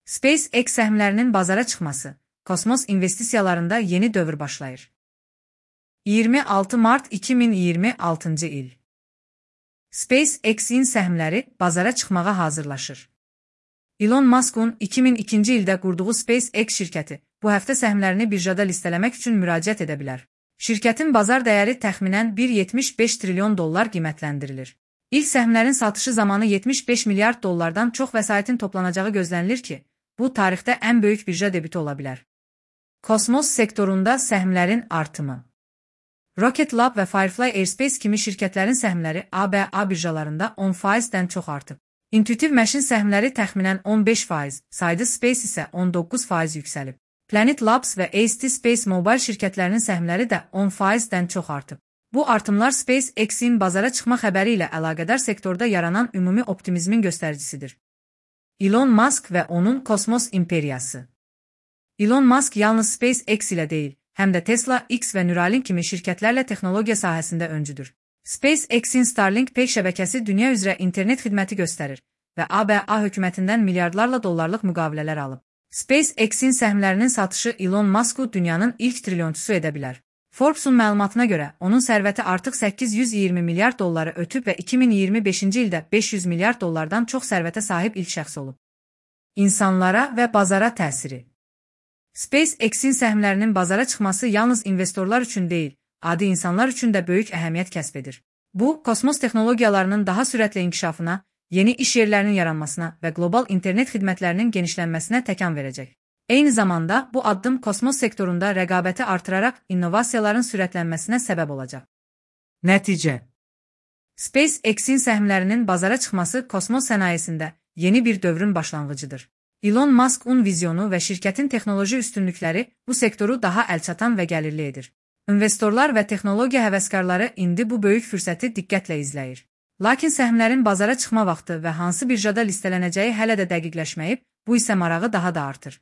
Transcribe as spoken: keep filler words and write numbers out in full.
SpaceX səhmlərinin bazara çıxması, kosmos investisiyalarında yeni dövr başlayır. iyirmi altı mart iki min iyirmi altıncı il. SpaceX-in səhmləri bazara çıxmağa hazırlaşır. Elon Musk'un iki min ikinci ildə qurduğu SpaceX şirkəti bu həftə səhmlərini birjada listələmək üçün müraciət edə bilər. Şirkətin bazar dəyəri təxminən bir nöqtə yetmiş beş trilyon dollar qiymətləndirilir. İlk səhmlərin satışı zamanı yetmiş beş milyard dollardan çox vəsaitin toplanacağı gözlənilir ki, bu tarixdə ən böyük birja debütü ola bilər. Kosmos sektorunda səhmlərin artımı. Rocket Lab və Firefly Aerospace kimi şirkətlərin səhmləri A B A birjalarında on faizdən çox artıb. Intuitive Machines səhmləri təxminən on beş faiz, Sidus Space isə on doqquz faiz yüksəlib. Planet Labs və A S T Space Mobile şirkətlərinin səhmləri də on faizdən çox artıb. Bu artımlar SpaceX-in bazara çıxma xəbəri ilə əlaqədar sektorda yaranan ümumi optimizmin göstəricisidir. Elon Musk və onun kosmos imperiyası. Elon Musk yalnız SpaceX ilə deyil, həm də Tesla, X və Neuralink kimi şirkətlərlə texnologiya sahəsində öncüdür. SpaceX-in Starlink pey şəbəkəsi dünya üzrə internet xidməti göstərir və A B A hökumətindən milyardlarla dollarlıq müqavilələr alıb. SpaceX-in səhmlərinin satışı Elon Musk'u dünyanın ilk trilyonçusu edə bilər. Forbes-un məlumatına görə, onun sərvəti artıq səkkiz yüz iyirmi milyard dolları ötüb və iki min iyirmi beşinci ildə beş yüz milyard dollardan çox sərvətə sahib ilk şəxs olub. İnsanlara və bazara təsiri. SpaceX-in səhmlərinin bazara çıxması yalnız investorlar üçün deyil, adi insanlar üçün də böyük əhəmiyyət kəsb edir. Bu, kosmos texnologiyalarının daha sürətlə inkişafına, yeni iş yerlərinin yaranmasına və qlobal internet xidmətlərinin genişlənməsinə təkan verəcək. Eyni zamanda, bu addım kosmos sektorunda rəqabəti artıraraq innovasiyaların sürətlənməsinə səbəb olacaq. Nəticə. SpaceX-in səhmlərinin bazara çıxması kosmos sənayesində yeni bir dövrün başlanğıcıdır. Elon Musk'un vizyonu və şirkətin texnoloji üstünlükləri bu sektoru daha əlçatan və gəlirli edir. İnvestorlar və texnologiya həvəskarları indi bu böyük fürsəti diqqətlə izləyir. Lakin səhmlərin bazara çıxma vaxtı və hansı birjada listelənəcəyi hələ də dəqiqləşməyib, bu isə marağı daha da artır.